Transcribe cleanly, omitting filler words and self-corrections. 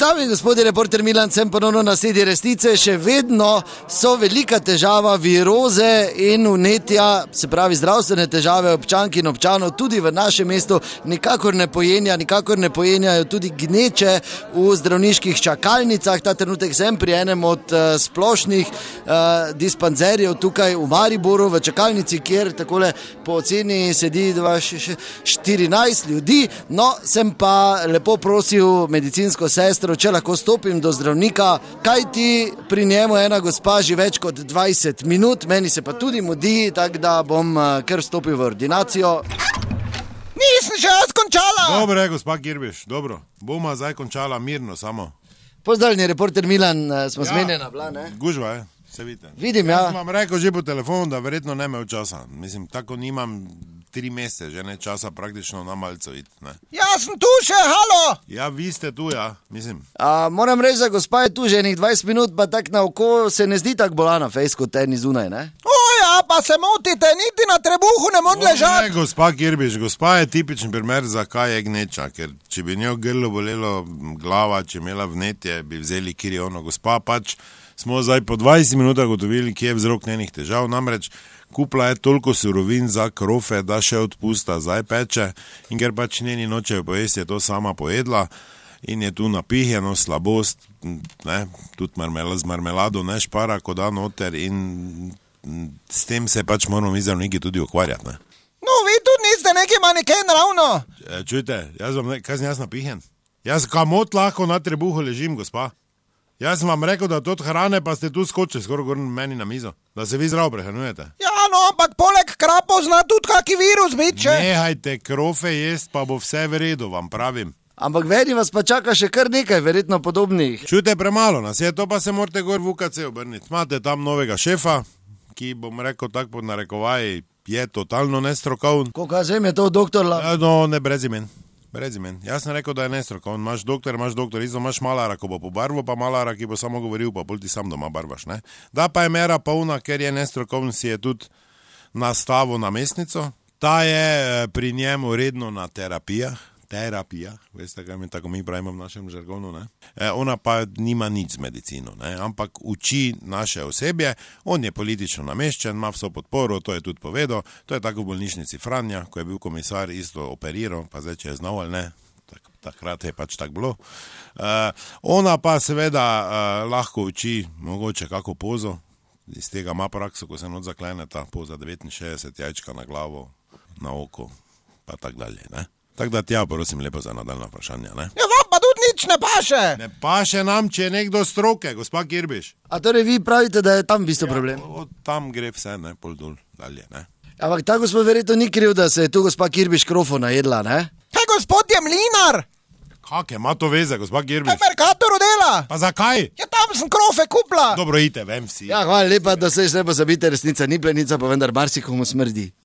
Dame in gospodje, reporter Milan, sem ponovno na sedi resnice. Še vedno so velika težava viroze in vnetja, se pravi zdravstvene težave občank in občanov tudi v našem mestu nikakor ne pojenjajo tudi gneče v zdravniških čakalnicah. Ta trenutek sem pri enem od splošnih dispanzerjev tukaj v Mariboru, v čakalnici, kjer takole po oceni sedi 14 ljudi. No, sem pa lepo prosil medicinsko sestro, če lahko stopim do zdravnika, kajti pri njemu ena gospa že več kot 20 minut, meni se pa tudi mudi, tako da bom kar stopil v ordinacijo. Nisem še jaz končala! Dobro je, gospa Kirbiš, dobro. Boma zdaj končala mirno samo. Pozdravljeni, reporter Milan, smo zmenjena bila, ne? Gužva je, se vidite. Vidim, ja. Jaz vam rekel že po telefonu, da verjetno ne imel časa. Mislim, tako nimam 3 mesece, že ne časa praktično na malco iti, ne. Jaz sem tu še, halo! Ja, vi ste tu, ja, mislim. Moram reči, da gospa je tu že enih 20 minut, pa tak na oko se ne zdi tako bolana fejs kot eni zunaj, ne? Ja, pa se motite, niti na trebuhu ne mod ležati. Ne, gospa Kirbiš, gospa je tipičen primer, zakaj je gneča, ker če bi njo grlo bolelo glava, če imela vnetje, bi vzeli kiriono. Gospa pač smo zdaj po 20 minutah gotovili, kje je vzrok njenih težav, namreč kupla je toliko surovin za krofe, da še odpusta zdaj peče in ker pač njeni nočejo pojesti, je to sama pojedla in je tu napihjeno, slabost, ne, tudi z marmelado ne špara, ko da noter in s tem se pač moramo mi zdravniki tudi ukvarjati, ne. No, vi tudi niste neki maneken ravno. Čujte, kaj sem jaz napihjen? Jaz kamot lahko na trebuhu ležim, gospa. Jaz sem vam rekel, da to od hrane pa ste tu skočili skoraj gor meni na mizo, da se vi zdravo prehranjujete. Ja, no, ampak poleg krapov zna tudi kaki virus biti, če? Nehajte krofe jest, pa bo vse v redu, vam pravim. Ampak vedi vas pa čaka še kar nekaj verjetno podobnih. Čujte, premalo nas je, to pa se morate gor v UKC obrniti. Imate tam novega šefa, ki bom rekel tako pod narekovaji, je totalno nestrokovn. Koliko zem je to doktor? No, ne, brez imen. Jaz sem rekel, da je nestrokovn. Imaš doktor, isto imaš malara, ko bo pobarval, pa malara, ki bo samo govoril, pa pol ti sam doma barvaš, ne. Da pa je mera polna, ker je nestrokovn, si je tudi nastavil namestnico. Ta je pri njemu redno na terapijah, veste, kaj mi tako mi pravimo v našem žargonu, ne. Ona pa nima nič z medicino, ne, ampak uči naše osebje, on je politično nameščen, ima vso podporo, to je tudi povedal, to je tako v bolnišnici Franja, ko je bil komisar isto operiral, pa zdaj, če je znal ali ne, takrat je pač tako bilo. Ona pa seveda lahko uči mogoče kako pozo, iz tega ima prakso, ko se not zaklene ta poza 69 jajčka na glavo, na oko, pa tak dalje, ne. Tako da tja, prosim lepo za nadaljna vprašanja, ne? Ja, vam pa tudi nič ne paše. Ne paše nam, če je nekdo stroke, gospa Kirbiš. A torej vi pravite, da je tam v bistvu problem? Ja, tam gre vse, ne, pol dol, dalje, ne. Ampak ta gospod verjetno ni kriv, da se je tu gospa Kirbiš krofo najedla, ne? Kaj gospod je mlinar? Kak ima to veze, gospa Kirbiš? V Mercatoru dela. Pa zakaj? Ja, tam sem krofe kupla. Dobro, ite, vem vsi. Ja, hvala lepa, da se ne pozabite, resnica ni plenica, pa vendar marsikomu smrdi.